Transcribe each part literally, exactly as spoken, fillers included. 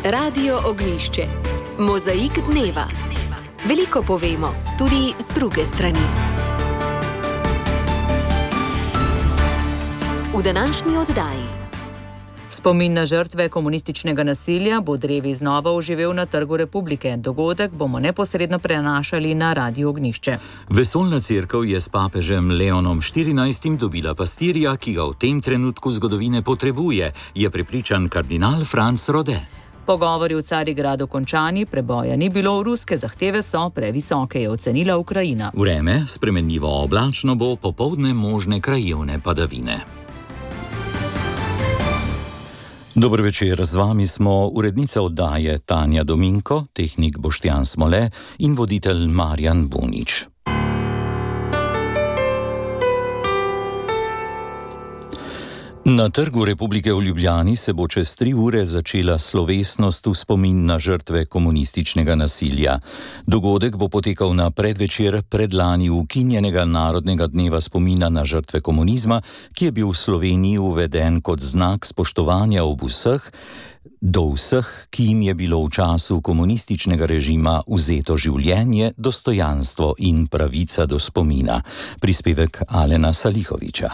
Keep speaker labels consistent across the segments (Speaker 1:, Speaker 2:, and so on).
Speaker 1: Radio Ognjišče. Mozaik dneva. Veliko povemo, tudi z druge strani. V današnji oddaji.
Speaker 2: Spomin na žrtve komunističnega nasilja bo drevi znova oživel na Trgu Republike. Dogodek bomo neposredno prenašali na Radio Ognjišče.
Speaker 3: Vesoljna cerkev je s papežem Leonom štirinajstim dobila pastirja, ki ga v tem trenutku zgodovine potrebuje, je prepričan kardinal Franc Rode.
Speaker 2: Pogovori v Carigradu končani, preboja ni bilo, ruske zahteve so previsoke, je ocenila Ukrajina.
Speaker 3: Vreme spremenljivo oblačno bo, popoldne možne krajevne padavine. Dober večer, z vami smo urednica oddaje Tanja Dominko, tehnik Boštjan Smole in voditelj Marjan Bunič. Na Trgu Republike v Ljubljani se bo čez tri ure začela slovesnost v spomin na žrtve komunističnega nasilja. Dogodek bo potekal na predvečer predlani ukinjenega Narodnega dneva spomina na žrtve komunizma, ki je bil v Sloveniji uveden kot znak spoštovanja ob vseh, do vseh, ki jim je bilo v času komunističnega režima vzeto življenje, dostojanstvo in pravica do spomina. Prispevek Alena Salihoviča.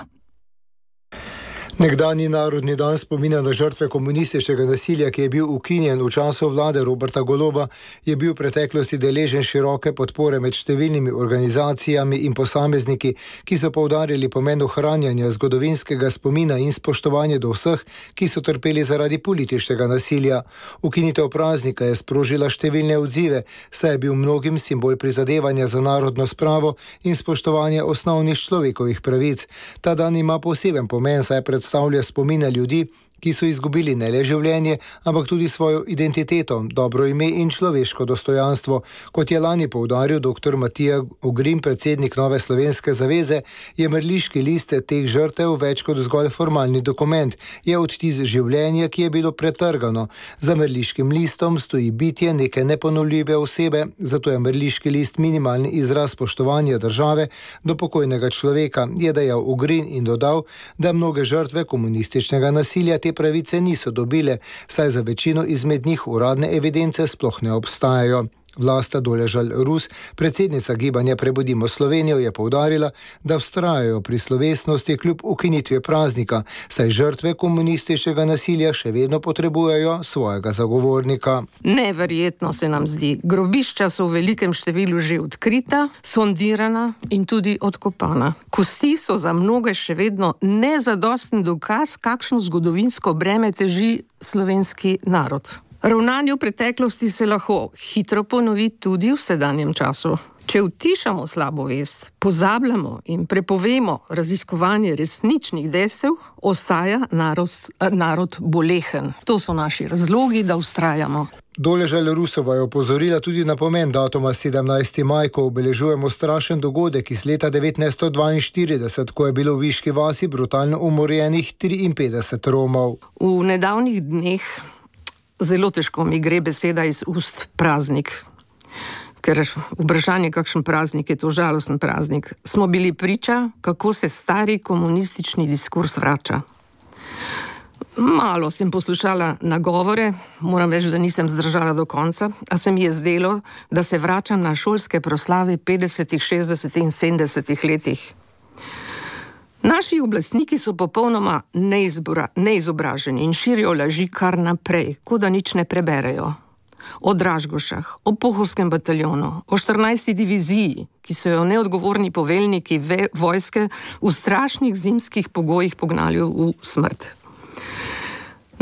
Speaker 4: Nekdanji narodni dan spomina na žrtve komunističnega nasilja, ki je bil ukinjen v času vlade Roberta Goloba, je bil v preteklosti deležen široke podpore med številnimi organizacijami in posamezniki, ki so poudarili pomen ohranjanja zgodovinskega spomina in spoštovanja do vseh, ki so trpeli zaradi političnega nasilja. Ukinitev praznika je sprožila številne odzive, saj je bil mnogim simbol prizadevanja za narodno spravo in spoštovanje osnovnih človekovih pravic. Ta dan ima poseben pomen, saj pred predstavlja spomine ljudi, ki so izgubili ne le življenje, ampak tudi svojo identiteto, dobro ime in človeško dostojanstvo. Kot je lani poudaril doktor Matija Ogrin, predsednik Nove slovenske zaveze, je mrliški list teh žrtev več kot zgolj formalni dokument. Je odtis življenja, ki je bilo pretrgano. Za mrliškim listom stoji bitje neke neponovljive osebe, zato je mrliški list minimalni izraz spoštovanja države do pokojnega človeka, je dejal Ogrin in dodal, da mnoge žrtve komunističnega nasilja te pravice niso dobile, saj za večino izmed njih uradne evidence sploh ne obstajajo. Vlasta Doležal Rus, predsednica gibanja Prebudimo Slovenijo, je poudarila, da vztrajajo pri slovesnosti kljub ukinitvi praznika, saj žrtve komunističnega nasilja še vedno potrebujejo svojega zagovornika.
Speaker 5: Neverjetno se nam zdi. Grobišča so v velikem številu že odkrita, sondirana in tudi odkopana. Kosti so za mnoge še vedno nezadosten dokaz, kakšno zgodovinsko breme teži slovenski narod. Ravnanje v preteklosti se lahko hitro ponovi tudi v sedanjem času. Če utišamo slabo vest, pozabljamo in prepovemo raziskovanje resničnih dejstev, ostaja narod, narod bolehen. To so naši razlogi, da vztrajamo.
Speaker 4: Doležal Rusova je opozorila tudi na pomen datuma sedemnajsti maj, ko obeležujemo strašen dogodek iz leta devetnajststo dvainštirideset, ko je bilo v Viški vasi brutalno umorjenih triinpetdeset Romov.
Speaker 5: V nedavnih dneh zelo težko mi gre beseda iz ust praznik, ker vprašanje, kakšen praznik je to, žalosten praznik. Smo bili priča, kako se stari komunistični diskurs vrača. Malo sem poslušala nagovore, moram reči, da nisem zdržala do konca, a se mi je zdelo, da se vračam na šolske proslave petdesetih, šestdesetih in sedemdesetih letih. Naši oblastniki so popolnoma neizbora, neizobraženi in širijo laži kar naprej, kot da nič ne preberejo. O Dražgošah, o Pohorskem bataljonu, o štirinajsti diviziji, ki so jo neodgovorni poveljniki ve, vojske v strašnih zimskih pogojih pognali v smrt.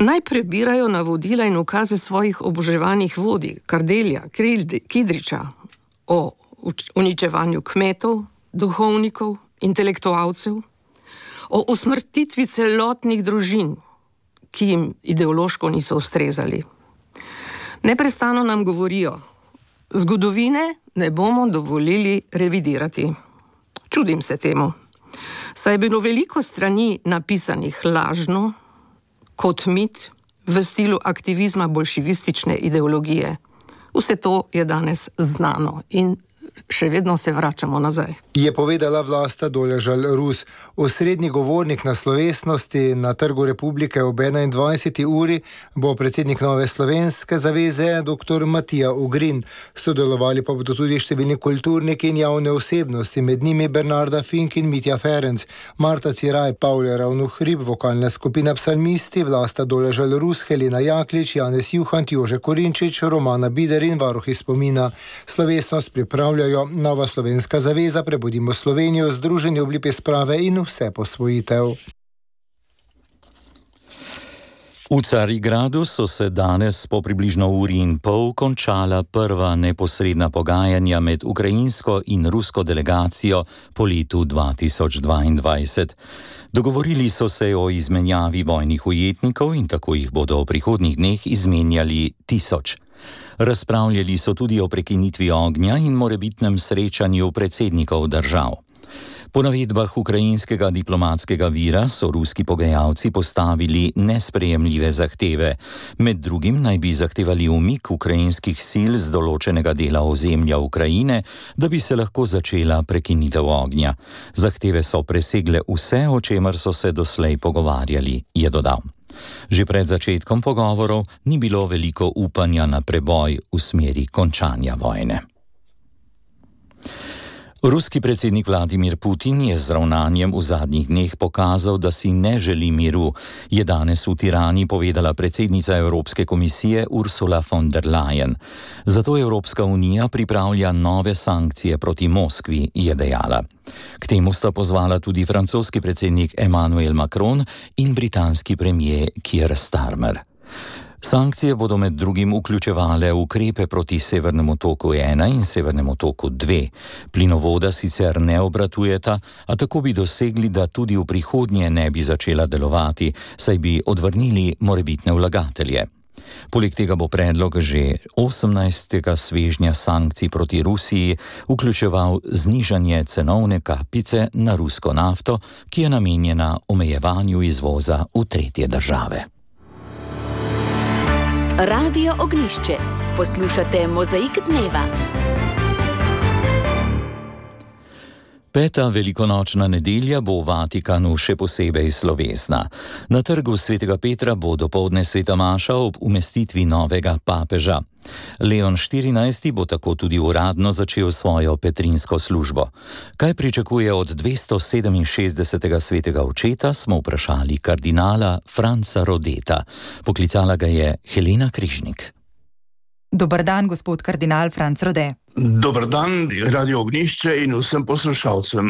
Speaker 5: Naj prebirajo navodila in ukaze svojih oboževanih vodij, Kardelja, Kidriča, o uničevanju kmetov, duhovnikov, intelektualcev, o usmrtitvi celotnih družin, ki jim ideološko niso ustrezali. Neprestano nam govorijo, zgodovine ne bomo dovolili revidirati. Čudim se temu. Saj je bilo veliko strani napisanih lažno, kot mit, v stilu aktivizma bolševistične ideologije. Vse to je danes znano in še vedno se vračamo nazaj.
Speaker 4: Je povedala Vlasta Doležal-Rus. Osrednji govornik na slovesnosti na Trgu Republike ob enaindvajseti uri bo predsednik Nove slovenske zaveze dr. Matija Ugrin. Sodelovali pa bodo tudi številni kulturniki in javne osebnosti, med njimi Bernarda Fink in Mitja Ferenc, Marta Ciraj, Pavle Ravnuhrib, vokalna skupina Psalmisti, Vlasta Doležal-Rus, Helena Jaklič, Janez Juhant, Jože Korinčič, Romana Bider in varuhi spomina. Slovesnost pripravljajo Nova slovenska zaveza, Prebudimo Slovenijo, Združenje Oblipe sprave in Vse posvojitev.
Speaker 3: V Carigradu so se danes po približno uri in pol končala prva neposredna pogajanja med ukrajinsko in rusko delegacijo po letu dva tisoč dvaindvajset. Dogovorili so se o izmenjavi vojnih ujetnikov in tako jih bodo v prihodnjih dneh izmenjali tisoč. Razpravljali so tudi o prekinitvi ognja in morebitnem srečanju predsednikov držav. Po navedbah ukrajinskega diplomatskega vira so ruski pogajalci postavili nesprejemljive zahteve. Med drugim naj bi zahtevali umik ukrajinskih sil z določenega dela ozemlja Ukrajine, da bi se lahko začela prekinitev ognja. Zahteve so presegle vse, o čemer so se doslej pogovarjali, je dodal. Že pred začetkom pogovorov ni bilo veliko upanja na preboj v smeri končanja vojne. Ruski predsednik Vladimir Putin je z ravnanjem v zadnjih dneh pokazal, da si ne želi miru, je danes v Tirani povedala predsednica Evropske komisije Ursula von der Leyen. Zato Evropska unija pripravlja nove sankcije proti Moskvi, je dejala. K temu sta pozvala tudi francoski predsednik Emmanuel Macron in britanski premier Keir Starmer. Sankcije bodo med drugim vključevale ukrepe proti Severnemu toku ena in Severnemu toku dve. Plinovoda sicer ne obratujeta, a tako bi dosegli, da tudi v prihodnje ne bi začela delovati, saj bi odvrnili morebitne vlagatelje. Poleg tega bo predlog že osemnajstega svežnja sankcij proti Rusiji vključeval znižanje cenovne kapice na rusko nafto, ki je namenjena omejevanju izvoza v tretje države.
Speaker 1: Radio Ognjišče. Poslušate Mozaik dneva.
Speaker 3: Peta velikonočna nedelja bo v Vatikanu še posebej slovesna. Na trgu svetega Petra bo dopoldne sveta maša ob umestitvi novega papeža. Leon štirinajsti bo tako tudi uradno začel svojo petrinsko službo. Kaj pričakuje od dvestosedeminšestdesetega svetega očeta, smo vprašali kardinala Franca Rodeta. Poklicala ga je Helena Križnik.
Speaker 6: Dobar dan, gospod kardinal Franc Rode.
Speaker 7: Dobar dan, Radio Ognjišče in vsem poslušalcem.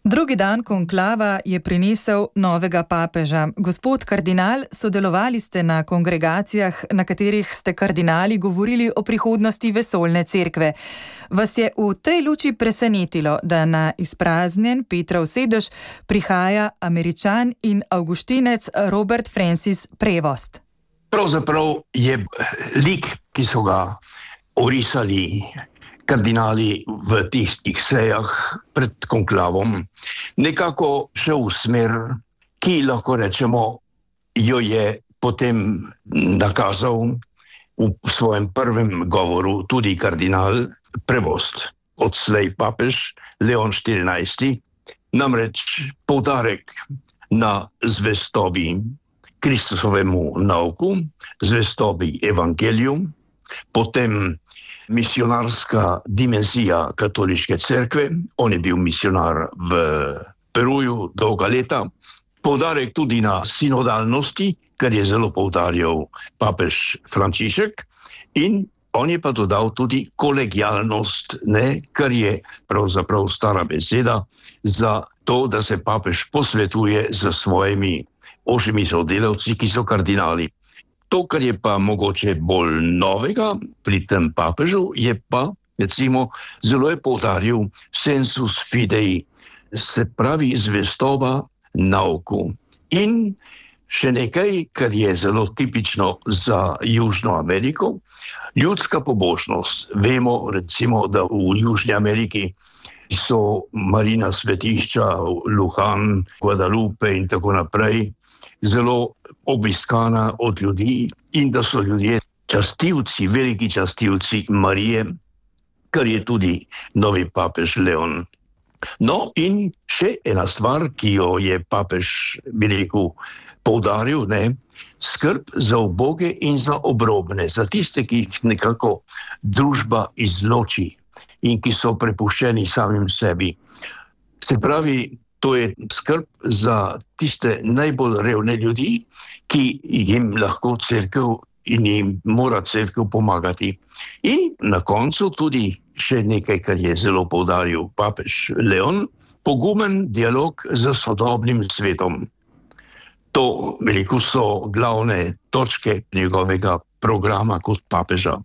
Speaker 6: Drugi dan konklava je prinesel novega papeža. Gospod kardinal, sodelovali ste na kongregacijah, na katerih ste kardinali govorili o prihodnosti vesoljne cerkve. Vas je v tej luči presenetilo, da na izpraznjen Petrov sedež prihaja Američan in avguštinec Robert Francis Prevost?
Speaker 7: Pravzaprav je lik, ki so ga orisali kardinali v tistih sejah pred konklavom, nekako šel v smer, ki lahko rečemo, jo je potem nakazal v svojem prvem govoru tudi kardinal Prevost, odslej papež Leon štirinajsti, namreč poudarek na zvestobi Kristusovemu nauku, zvestobi evangeliju, potem misionarska dimenzija katoliške cerkve, on je bil misionar v Peruju dolga leta, poudarek tudi na sinodalnosti, kar je zelo poudarjal papež Frančišek, in on je pa dodal tudi kolegialnost, ne, kar je pravzaprav stara beseda za to, da se papež posvetuje z svojimi ožjimi sodelavci, ki so kardinali. To, kar je pa mogoče bolj novega pri tem papežu, je pa, recimo, zelo je poudaril sensus fidei, se pravi zvestoba nauku. In še nekaj, kar je zelo tipično za Južno Ameriko, ljudska pobožnost. Vemo, recimo, da v Južni Ameriki so marina svetišča, Lujan, Guadalupe in tako naprej, zelo obiskana od ljudi in da so ljudje častilci, veliki častilci Marije. kar je tudi novi papež Leon. No, in še ena stvar, ki jo je papež, bi rekel, poudaril, ne, skrb za uboge in za obrobne, za tiste, ki jih nekako družba izloči in ki so prepuščeni samim sebi. Se pravi, to je skrb za tiste najbolj revne ljudi, ki jim lahko cerkev in jim mora cerkev pomagati. In na koncu tudi še nekaj, kar je zelo poudaril papež Leon, pogumen dialog z sodobnim svetom. To, veliko so glavne točke njegovega programa kot papeža.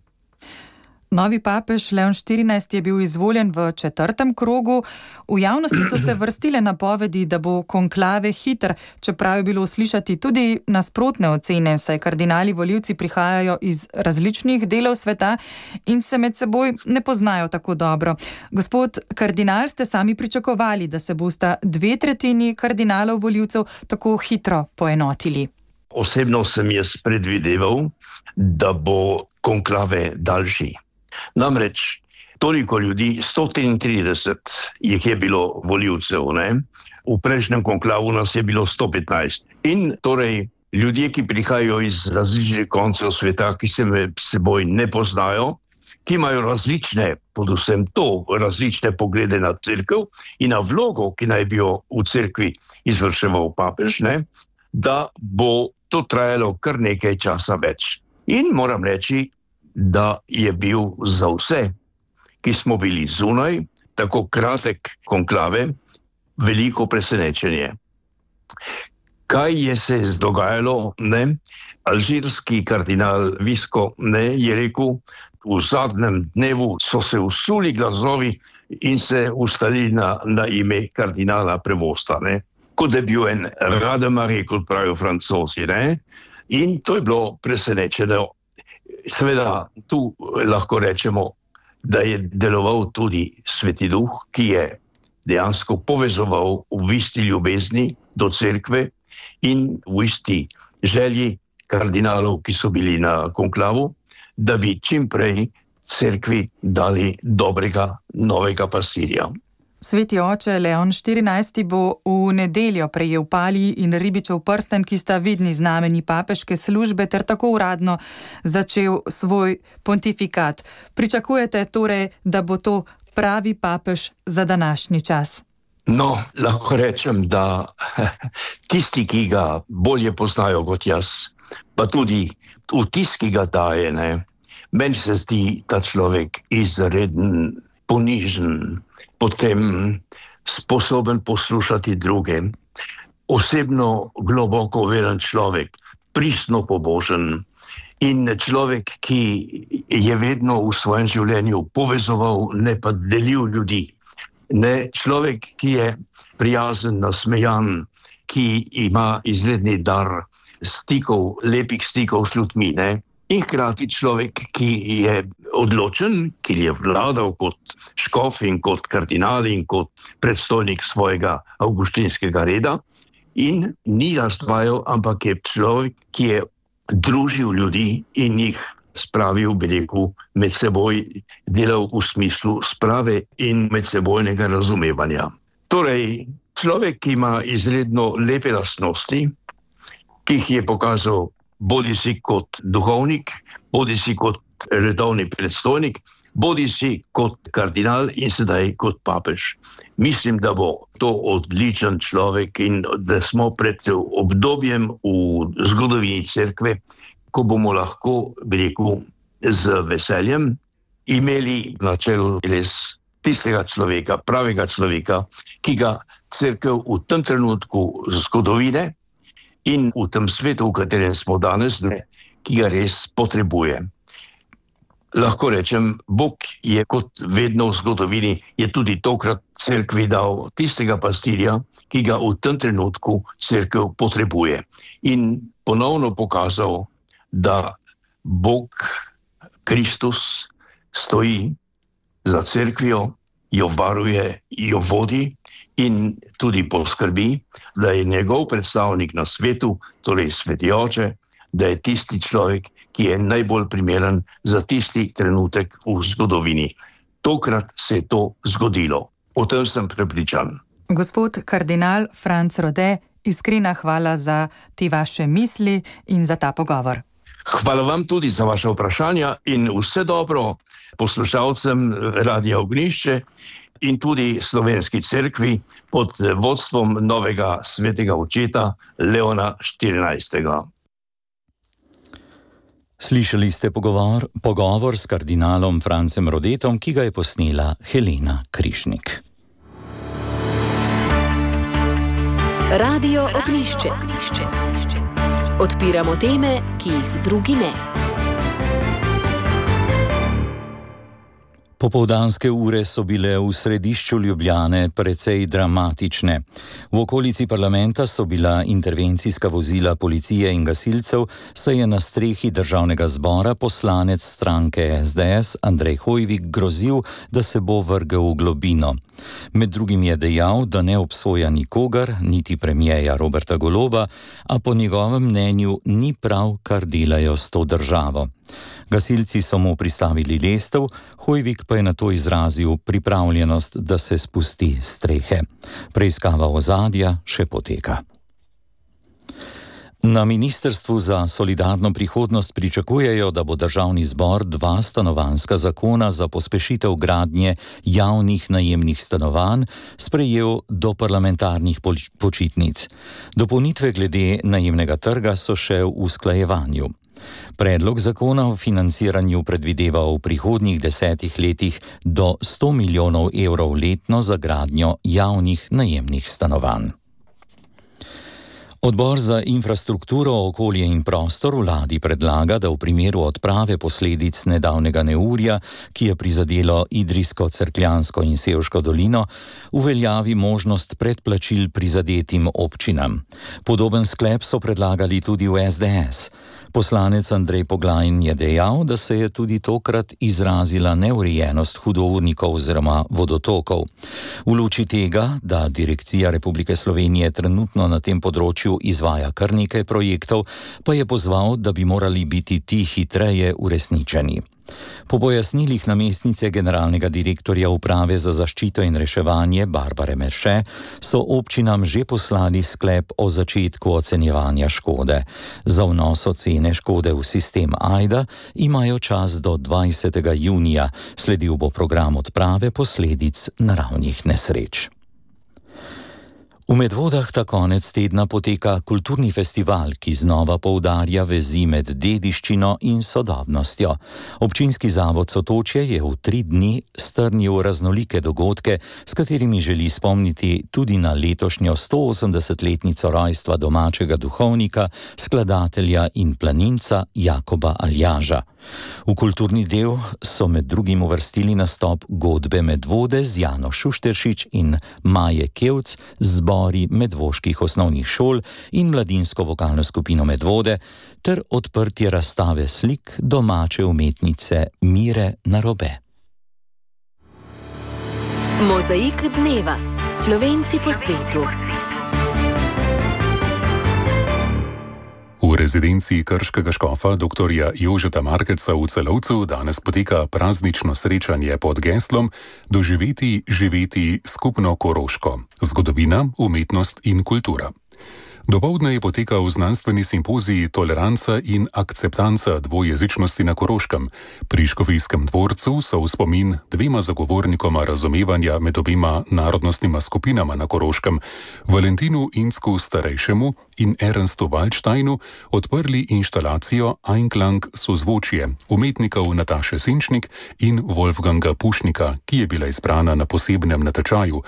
Speaker 6: Novi papež Leon štirinajsti je bil izvoljen v četrtem krogu. V javnosti so se vrstile napovedi, da bo konklave hiter, čeprav je bilo slišati tudi nasprotne ocene, saj kardinali volivci prihajajo iz različnih delov sveta in se med seboj ne poznajo tako dobro. Gospod kardinal, ste sami pričakovali, da se bosta dve tretjini kardinalov volivcev tako hitro poenotili?
Speaker 7: Osebno sem jaz predvideval, da bo konklave daljši. Namreč toliko ljudi, sto triintrideset jih je bilo volivcev, ne? V prejšnjem konklavu nas je bilo sto petnajst. In torej ljudje, ki prihajajo iz različnih koncev sveta, ki se med seboj ne poznajo, ki imajo različne, predvsem to, različne poglede na cerkev in na vlogo, ki naj bi jo v cerkvi izvrševal papež, ne? Da bo to trajalo kar nekaj časa več. In moram reči, da je bil za vse, ki smo bili zunaj, tako kratek konklave, veliko presenečenje. Kaj je se dogajalo, ne? Alžirski kardinal Visco, ne, je rekel, v zadnjem dnevu so se usuli glasovi in se ustalili na, na ime kardinala Prevosta, ne? Kot je bil en Rademarie, kot pravijo Francozi, ne? In to je bilo presenečeno. Seveda, tu lahko rečemo, da je deloval tudi Sveti Duh, ki je dejansko povezoval v isti ljubezni do cerkve in v isti želji kardinalov, ki so bili na konklavu, da bi čim prej cerkvi dali dobrega novega pastirja.
Speaker 6: Sveti oče Leon štirinajsti bo v nedeljo prejel palij in ribičev prsten, ki sta vidni znameni papeške službe, ter tako uradno začel svoj pontifikat. Pričakujete torej, da bo to pravi papež za današnji čas?
Speaker 7: No, lahko rečem, da tisti, ki ga bolje poznajo kot jaz, pa tudi vtis, ki ga daje, ne, meni se zdi ta človek izreden, ponižen, potem sposoben poslušati druge, osebno globoko veren človek, pristno pobožen in človek, ki je vedno v svojem življenju povezoval, ne pa delil ljudi. Ne, človek, ki je prijazen, nasmejan, ki ima izredni dar stikov, lepih stikov s ljudmi, ne? In hkrati človek, ki je odločen, ki je vladal kot škof in kot kardinal in kot predstojnik svojega avguštinskega reda in ni razdvajal, ampak je človek, ki je družil ljudi in jih spravil, bi rekel, med seboj, delal v smislu sprave in medsebojnega razumevanja. Torej, človek, ki ima izredno lepe lastnosti, ki jih je pokazal bodi si kot duhovnik, bodi si kot redovni predstojnik, bodi si kot kardinal in sedaj kot papež. Mislim, da bo to odličen človek in da smo pred obdobjem v zgodovini cerkve, ko bomo lahko, bi rekel, z veseljem imeli na čelu res tistega človeka, pravega človeka, ki ga cerkev v tem trenutku zgodovine in v tem svetu, v katerem smo danes, ne, ki ga res potrebuje. Lahko rečem, Bog je kot vedno v zgodovini, je tudi tokrat cerkvi dal tistega pastirja, ki ga v tem trenutku cerkev potrebuje. In ponovno pokazal, da Bog, Kristus, stoji za cerkvijo, jo varuje, jo vodi in tudi poskrbi, da je njegov predstavnik na svetu, torej Sveti oče, da je tisti človek, ki je najbolj primeren za tisti trenutek v zgodovini. tokrat se je to zgodilo. O tem sem prepričan.
Speaker 6: Gospod kardinal Franc Rode, iskrena hvala za te vaše misli in za ta pogovor.
Speaker 7: Hvala vam tudi za vaše vprašanja in vse dobro poslušalcem Radia Ognjišče in tudi Slovenski cerkvi pod vodstvom novega svetega očeta Leona štirinajstega.
Speaker 3: Slišali ste pogovor, pogovor s kardinalom Francem Rodetom, ki ga je posnela Helena Krišnik.
Speaker 1: Radio Ognjišče. Odpiramo teme, ki jih drugi ne.
Speaker 3: Popoldanske ure so bile v središču Ljubljane precej dramatične. V okolici parlamenta so bila intervencijska vozila policije in gasilcev, saj je na strehi državnega zbora poslanec stranke S D S Andrej Hoivik grozil, da se bo vrgel v globino. Med drugim je dejal, da ne obsoja nikogar, niti premierja Roberta Goloba, a po njegovem mnenju ni prav, kar delajo s to državo. Gasilci so mu pristavili lestev, Hoivik pa je nato izrazil pripravljenost, da se spusti s strehe. Preiskava ozadja še poteka. Na Ministrstvu za solidarno prihodnost pričakujejo, da bo državni zbor dva stanovanjska zakona za pospešitev gradnje javnih najemnih stanovanj sprejel do parlamentarnih počitnic. Dopolnitve glede najemnega trga so še v usklajevanju. Predlog zakona o financiranju predvideva v prihodnjih desetih letih do sto milijonov evrov letno za gradnjo javnih najemnih stanovanj. Odbor za infrastrukturo, okolje in prostor vladi predlaga, da v primeru odprave posledic nedavnega neurja, ki je prizadelo Idrijsko, Cerkljansko in Sevško dolino, uveljavi možnost predplačil prizadetim občinam. Podoben sklep so predlagali tudi v S D S. Poslanec Andrej Poglajn je dejal, da se je tudi tokrat izrazila neurejenost hudournikov oziroma vodotokov. V luči tega, da Direkcija Republike Slovenije trenutno na tem področju izvaja kar nekaj projektov, pa je pozval, da bi morali biti ti hitreje uresničeni. Po pojasnilih namestnice generalnega direktorja Uprave za zaščito in reševanje Barbare Merše so občinam že poslali sklep o začetku ocenjevanja škode. Za vnos ocene škode v sistem AJDA imajo čas do dvajsetega junija, sledil bo program odprave posledic naravnih nesreč. V Medvodah ta konec tedna poteka kulturni festival, ki znova poudarja vezi med dediščino in sodobnostjo. Občinski zavod Sotočje je v tri dni strnil raznolike dogodke, s katerimi želi spomniti tudi na letošnjo stoosemdesetletnico rojstva domačega duhovnika, skladatelja in planinca Jakoba Aljaža. V kulturni del so med drugim uvrstili nastop Godbe Medvode z Jano Šušteršič in Maje Kevc z zbori medvoških osnovnih šol in mladinsko vokalno skupino Medvode ter odprtje razstave slik domače umetnice Mire Narobe.
Speaker 1: Mozaik dneva. Slovenci po svetu.
Speaker 8: V rezidenci krškega škofa doktorja Jožeta Markeca v Celovcu danes poteka praznično srečanje pod geslom Doživeti, živeti skupno Koroško. Zgodovina, umetnost in kultura. Dopoldne je potekal znanstveni simpozij Toleranca in akceptanca dvojezičnosti na Koroškem. Pri Škofijskem dvorcu so v spomin dvema zagovornikoma razumevanja med obima narodnostnima skupinama na Koroškem, Valentinu Insku starejšemu in Ernstu Waldsteinu, odprli inštalacijo Einklang sozvočje umetnikov Nataše Sinčnik in Wolfganga Pušnika, ki je bila izbrana na posebnem natečaju.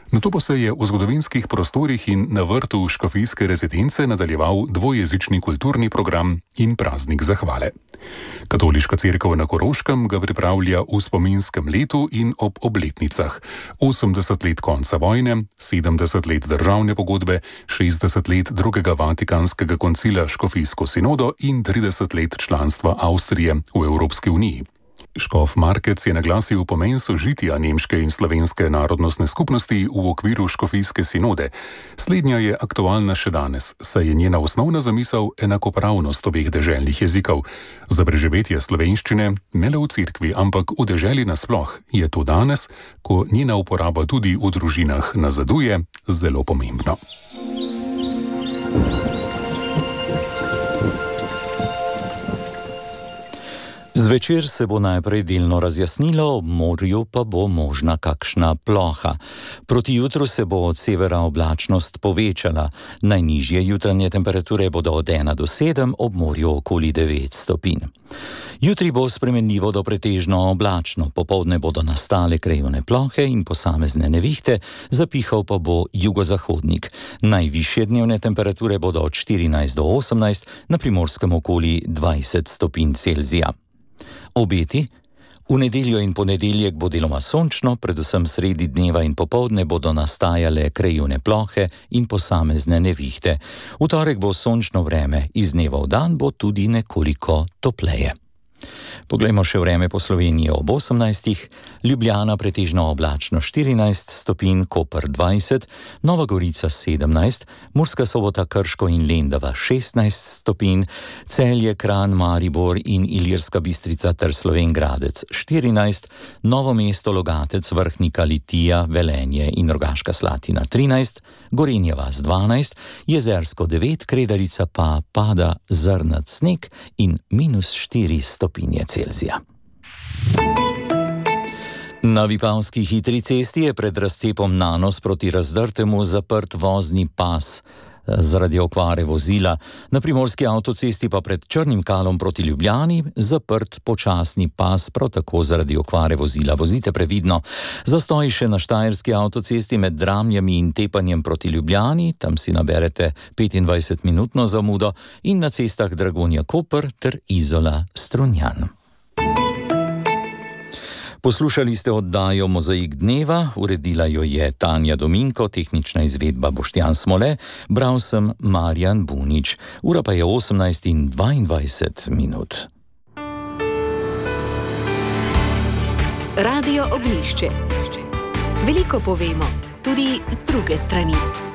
Speaker 8: Nato pa se je v zgodovinskih prostorih in na vrtu škofijske rezidence nadaljeval dvojezični kulturni program in praznik zahvale. Katoliška cerkev na Koroškem ga pripravlja v spominskem letu in ob obletnicah. osemdeset let konca vojne, sedemdeset let državne pogodbe, šestdeset let drugega vatikanskega koncila škofijsko sinodo in trideset let članstva Avstrije v Evropski uniji. Škof Markec je naglasil pomen sožitja nemške in slovenske narodnostne skupnosti v okviru škofijske sinode. Slednja je aktualna še danes, saj je njena osnovna zamisel enakopravnost obeh deželnih jezikov. Za preživetje slovenščine, ne le v cerkvi, ampak v deželi nasploh, je to danes, ko njena uporaba tudi v družinah nazaduje, zelo pomembno.
Speaker 3: Zvečer se bo najprej delno razjasnilo, ob morju pa bo možna kakšna ploha. Proti jutru se bo od severa oblačnost povečala. Najnižje jutranje temperature bodo od ena do sedem, ob morju okoli devet stopinj. Jutri bo spremenljivo do pretežno oblačno, popoldne bodo nastale krajevne plohe in posamezne nevihte, zapihal pa bo jugozahodnik. Najvišje dnevne temperature bodo od štirinajst do osemnajst, na Primorskem okoli dvajset stopinj Celzija. Obeti? V nedeljo in ponedeljek bo deloma sončno, predvsem sredi dneva in popoldne bodo nastajale krajevne plohe in posamezne nevihte. V torek bo sončno vreme, iz dneva v dan bo tudi nekoliko topleje. Poglejmo še vreme po Sloveniji ob osemnajstih. Ljubljana pretežno oblačno štirinajst stopinj, Koper dvajset, Nova Gorica sedemnajst, Murska Sobota, Krško in Lendava šestnajst stopinj, Celje, Kranj, Maribor in Ilirska Bistrica ter Slovenj Gradec štirinajst, Novo mesto, Logatec, Vrhnika, Litija, Velenje in Rogaška Slatina trinajst, Gorenja vas dvanajst, Jezersko devet, Kredarica pa pada zrnat sneg in minus štiri stopinje Celzija. Na Vipavski hitri cesti je pred razcepom Nanos proti Razdrtemu zaprt vozni pas zaradi okvare vozila. Na Primorski avtocesti pa pred Črnim Kalom proti Ljubljani zaprt počasni pas, prav tako zaradi okvare vozila. Vozite previdno. Zastoji še na Štajerski avtocesti med Dramljami in Tepanjem proti Ljubljani, tam si naberete petindvajsetminutno zamudo, in na cestah Dragonja Koper ter Izola Strunjan. Poslušali ste oddajo Mozaik dneva, uredila jo je Tanja Dominko, tehnična izvedba Boštjan Smole, bral sem Marjan Bunič. Ura pa je osemnajst in dvaindvajset minut.
Speaker 1: Radio Ognjišče. Veliko povemo, tudi z druge strani.